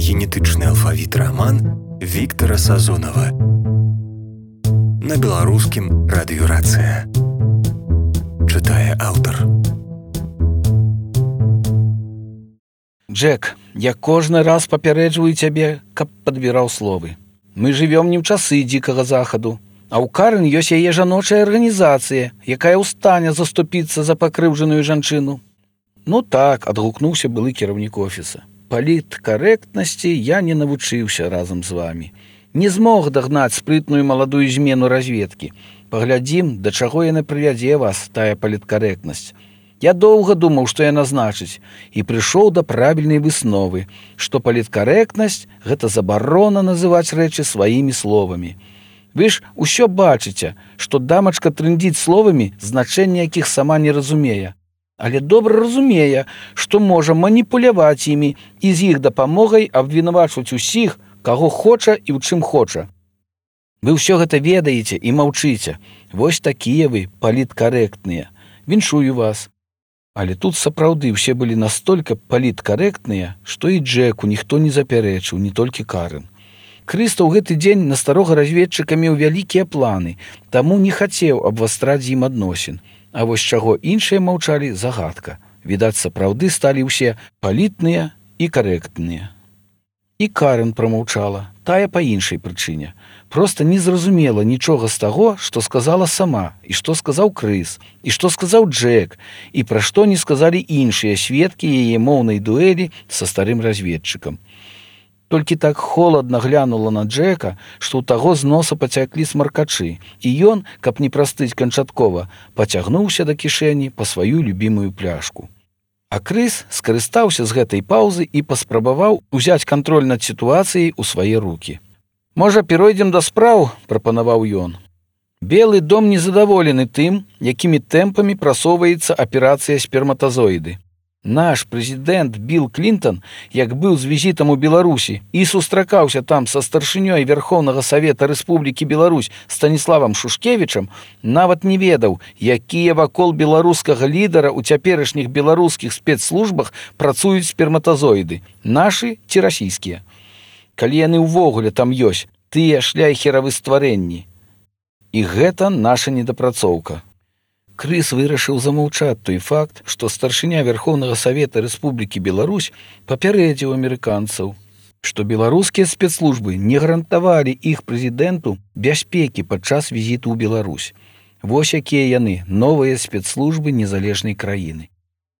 генетычны алфавіт раман Віктара Сазонава. На беларускім радыёрацыя. Чытае аўтар. Джек, я кожны раз папярэджваю цябе, каб падбіраў словы. Мы жывём не ў часы дзікага захаду, а ў Карен ёсць яе жаночая арганізацыя, якая ў стане заступіцца за пакрыўджаную жанчыну. Ну так, адгукнуўся былы кіраўнік офіса. Паліткарэктнасці я не навучыўся разам з вамі. Не змог дагнаць спрытную маладую змену разведкі. Паглядзім, да чаго яна прывядзе вас, тая паліткарэктнасць. Я доўга думаў, што яна значыць, і прыйшоў да правільнай высновы, што паліткарэктнасць – гэта забарона называць рэчы сваімі словамі. Вы ж усё бачыце, што дамачка трындзіць словамі, значэнне якіх сама не разумее. Але добра разумее, што можа маніпуляваць імі і з іх дапамогай абвінавачваць усіх, каго хоча і ў чым хоча. Вы ўсё гэта ведаеце і маўчыце. Вось такія вы паліткарэктныя. Віншую вас. Але тут сапраўды ўсе былі настолькі паліткарэктныя, што і Джеку ніхто не запярэчыў, не толькі Карен. Крыста ў гэты дзень на старога разведчыка меў вялікія планы, таму не хацеў абвастраць з ім адносін. А вось чаго іншыя маўчалі, загадка. Відаць, сапраўды сталі ўсе палітныя і карэктныя. І Карен прамаўчала, тая па іншай прычыне. Проста не зразумела нічога з таго, што сказала сама, і што сказаў Крыс, і што сказаў Джек, і пра што не сказалі іншыя сведкі яе моўнай дуэлі са старым разведчыкам. Толькі так холадна глянула на Джека, што ў таго з носа пацяклі смаркачы, і ён, каб не прастыць канчаткова, пацягнуўся да кішэні па сваю любімую пляшку. А Крыс скарыстаўся з гэтай паўзы і паспрабаваў узяць кантроль над сітуацыяй у свае рукі. «Можа, перайдзем да спраў?» – прапанаваў ён. Белы дом незадаволены тым, якімі тэмпамі прасоўваецца аперацыя сперматазоіды. Наш прэзідэнт Білл Клінтон, як быў з візітам у Беларусі і сустракаўся там са старшынёй Верхоўнага Савета Рэспублікі Беларусь Станіславам Шушкевічам, нават не ведаў, якія вакол беларускага лідара ў цяперашніх беларускіх спецслужбах працуюць сперматазоіды, нашы ці расійскія. Калі яны ўвогуле там ёсць, тыя шляйхеравы стварэнні. І гэта наша недапрацоўка. Крыс вырашыў замаўчаць той факт, што старшыня Верхоўнага Савета Рэспублікі Беларусь папярэдзіў амерыканцаў, што беларускія спецслужбы не гарантавалі іх прэзідэнту бяспекі падчас візіту ў Беларусь. Вось якія яны, новыя спецслужбы незалежнай краіны.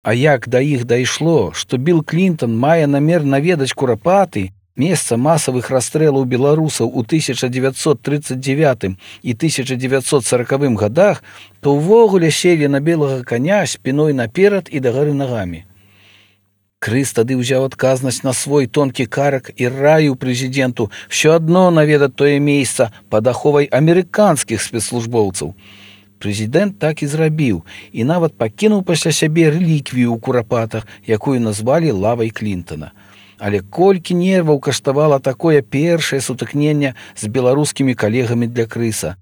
А як да іх дайшло, што Білл Клінтон мае намер наведаць Курапаты, месца масавых расстрэлаў беларусаў у 1939 і 1940 годах, то ўвогуле селі на белага коня спіной наперад і дагары нагамі. Крыс тады ўзяў адказнасць на свой тонкі карак і раіў прэзідэнту ўсё адно наведаць тое месца пад аховай амерыканскіх спецслужбоўцаў. Прэзідэнт так і зрабіў і нават пакінуў пасля сябе рэліквію ў Курапатах, якую назвалі лавай Клінтона. Але колькі нерваў каштавала такое першае сутыкненне з беларускімі калегамі для Крыса.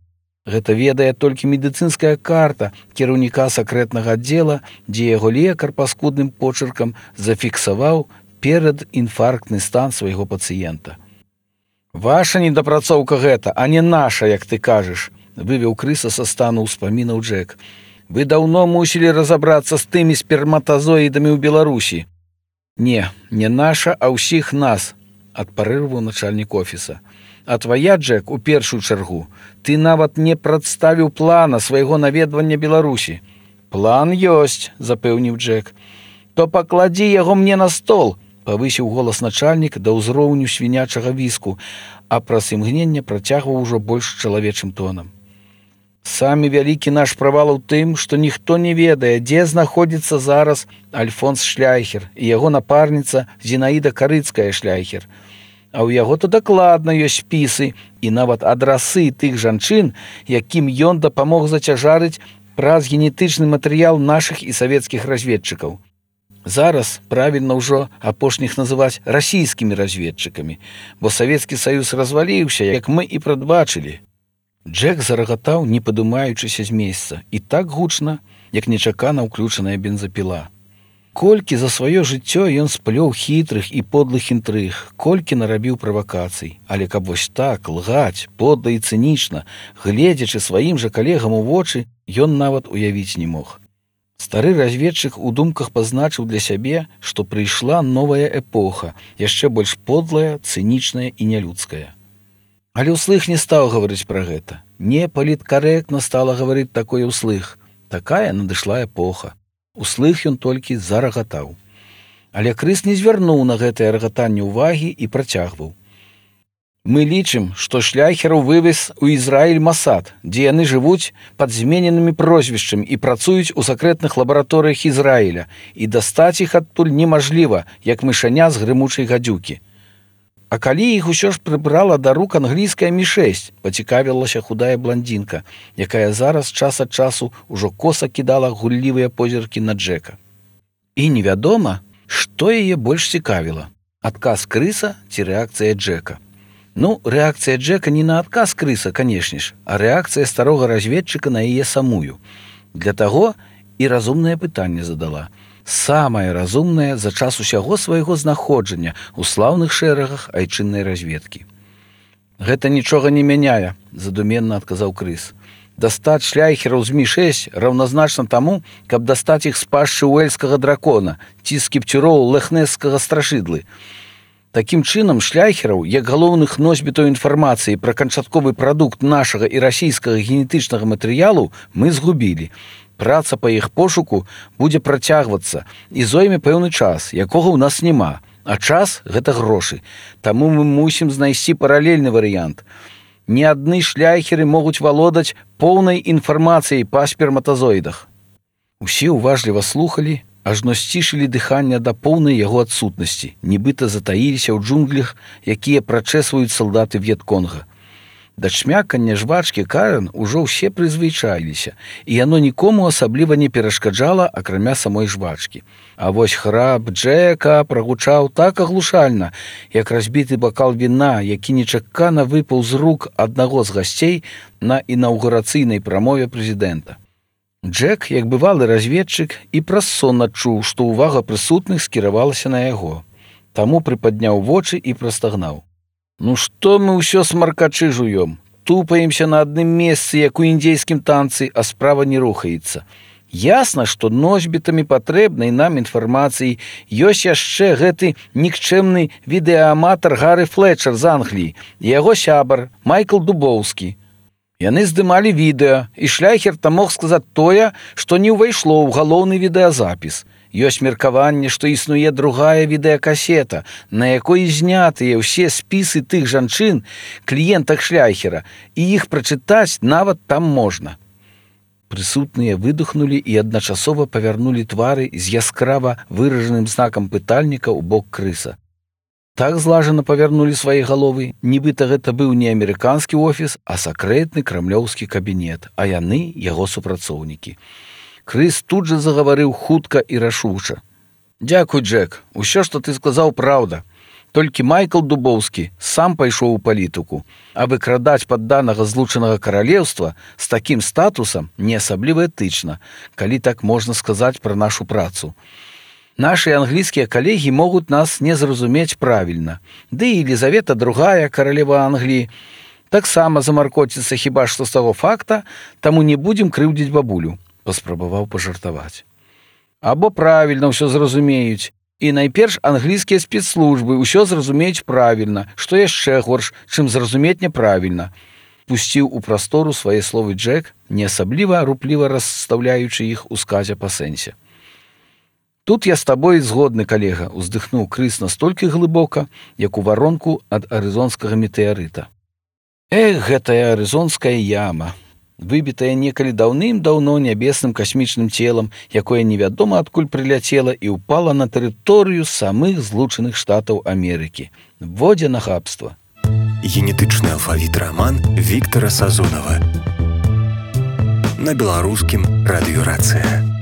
Гэта ведае толькі медыцынская карта кіраўніка сакрэтнага аддзела, дзе яго лекар паскудным почыркам зафіксаваў перадінфарктны стан свайго пацыента. «Ваша недапрацоўка гэта, а не наша, як ты кажаш», вывеў Крыса са стану ўспамінаў Джек. «Вы даўно мусілі разабрацца з тымі сперматазоідамі ў Беларусі». «Не, не наша, а ўсіх нас», – адпарэжваў начальнік офіса. «А твая, Джек, у першую чаргу, ты нават не прадставіў плана свайго наведвання Беларусі». «План ёсць», – запэўніў Джек. «То пакладзі яго мне на стол», – павысіў голас начальнік да ўзроўню свінячага віску, а праз імгненне працягваў ужо больш чалавечым тонам. «Самі вялікі наш правал у тым, што ніхто не ведае, дзе знаходзіцца зараз Альфонс Шляйхер і яго напарніца Зінаіда Карыцкая Шляйхер. А ў яго то дакладна ёсць спісы і нават адрасы тых жанчын, якім ён дапамог зацяжарыць праз генетычны матэрыял нашых і савецкіх разведчыкаў. Зараз правільна ўжо апошніх называць расійскімі разведчыкамі, бо Савецкі Саюз разваліўся, як мы і прадбачылі». Джек зарагатаў, не падымаючыся з месца, і так гучна, як нечакана ўключаная бензапіла. Колькі за сваё жыццё ён сплёў хітрых і подлых інтрыг, колькі нарабіў правакацый, але каб вось так лгаць, подла і цынічна, гледзячы сваім жа калегам у вочы, ён нават уявіць не мог. Стары разведчык у думках пазначыў для сябе, што прыйшла новая эпоха, яшчэ больш подлая, цынічная і нялюдская. Але ўслых не стаў гаварыць пра гэта. Не паліткарэктна стала гаварыць такое ўслых. Такая надышла эпоха. Услых ён толькі зарагатаў. Але Крыс не звярнуў на гэтае рагатанне ўвагі і працягваў. Мы лічым, што шляхераў вывез у Ізраіль Масад, дзе яны жывуць пад змененымі прозвішчамі і працуюць у сакрэтных лабараторыях Ізраіля, і дастаць іх адтуль немажліва, як мышаня з грымучай гадзюкі. А калі іх усё ж прыбрала да рук англійская Мі-6, пацікавілася худая бландзінка, якая зараз час ад часу ўжо коса кідала гуллівыя позіркі на Джека. І невядома, што яе больш цікавіла – адказ Крыса ці рэакцыя Джека. Ну, рэакцыя Джека не на адказ Крыса, канешне ж, а рэакцыя старога разведчыка на яе самую. Для таго і разумнае пытанне задала. Самае разумнае за час усяго свайго знаходжання ў слаўных шэрагах айчыннай разведкі. Гэта нічога не мяняе, задуменна адказаў Крыс. Дастаць шляхераў з Мі-6 раўназначна таму, каб дастаць іх з пашчы уэльскага дракона ці з кіпцюроў лэхнесскага страшыдлы. Такім чынам шляхераў, як галоўных носьбітаў інфармацыі пра канчатковы прадукт нашага і расійскага генетычнага матэрыялу мы згубілі. Праца па іх пошуку будзе працягвацца і зойме пэўны час, якога ў нас няма. А час – гэта грошы. Таму мы мусім знайсці паралельны варыянт. Не адны шляхеры могуць валодаць поўнай інфармацыяй па сперматазоідах. Усе уважліва слухалі, ажно сцішылі дыханне да поўнай яго адсутнасці, нібыта затаіліся ў джунглях, якія прачэсваюць салдаты В'етконга. Да чмякання жвачкі Карен ужо ўсе прызвычаіліся, і яно нікому асабліва не перашкаджала, акрамя самой жвачкі. А вось храп Джека прагучаў так аглушальна, як разбіты бакал віна, які нечакана выпаў з рук аднаго з гасцей на інаўгурацыйнай прамове прэзідэнта. Джек, як бывалы разведчык, і праз сон адчуў, што ўвага прысутных скіравалася на яго. Таму прыпадняў вочы і прастагнаў. Ну што мы ўсё смаркачы жуём? Тупаемся на адным месцы, як у індзейскім танцы, а справа не рухаецца. Ясна, што носьбітамі патрэбнай нам інфармацыі ёсць яшчэ гэты нікчэмны відэааматар Гары Флетчер з Англіі і яго сябар Майкл Дубоўскі. Яны здымалі відэа, і шляхер там мог сказаць тое, што не ўвайшло ў галоўны відэазапіс. Ёсць меркаванне, што існуе другая відэакасета, на якой знятыя ўсе спісы тых жанчын, кліентак шляхера, і іх прачытаць нават там можна. Прысутныя выдохнулі і адначасова павярнулі твары з яскрава выражаным знакам пытальніка ў бок Крыса. Так злажана павярнулі свае галовы, нібыта гэта быў не амерыканскі офіс, а сакрэтны крамлёўскі кабінет, а яны яго супрацоўнікі. Крыс тут жа загаварыў хутка і рашуча. «Дзякуй, Джек, усё, што ты сказаў, праўда. Толькі Майкл Дубоўскі сам пайшоў у палітыку, а выкрадаць падданага злучанага каралеўства з такім статусам не асабліва этычна, калі так можна сказаць пра нашу працу. Нашы англійскія калегі могуць нас не зразумець правільна. Ды і Елізавета II, каралева Англіі, таксама замаркоціцца хіба што з таго факта, таму не будзем крыўдзіць бабулю», паспрабаваў пажартаваць. Або правільна ўсё зразумеюць. І найперш англійскія спецслужбы ўсё зразумеюць правільна, што яшчэ горш, чым зразумець няправільна. Пусціў у прастору свае словы Джек, не асабліва рупліва расстаўляючы іх у сказе па сэнсе. «Тут я з табой згодны, калега», уздыхнуў Крыс настолькі глыбока, як у варонку ад арызонскага метэарыта. Эх, гэтая арызонская яма, выбітая некалі даўным-даўно нябесным касмічным целам, якое невядома адкуль прыляцела і ўпала на тэрыторыю самых злучаных штатаў Амерыкі. Во дзе нахабства. Генетычны алфавіт раман Віктара Сазонава. На беларускім радыёрацыя.